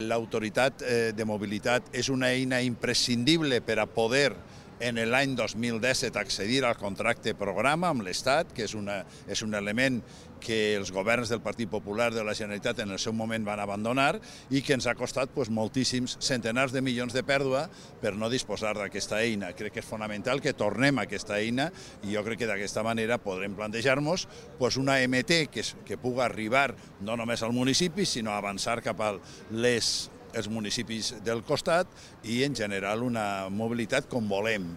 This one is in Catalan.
L'autoritat de mobilitat és una eina imprescindible per a poder en l'any 2017 accedir al contracte programa amb l'Estat, que és un element que els governs del Partit Popular de la Generalitat en el seu moment van abandonar i que ens ha costat moltíssims centenars de milions de pèrdua per no disposar d'aquesta eina. Crec que és fonamental que tornem a aquesta eina i jo crec que d'aquesta manera podrem plantejar-nos una MT que pugui arribar no només al municipi, sinó avançar cap a els municipis del costat i en general una mobilitat com volem.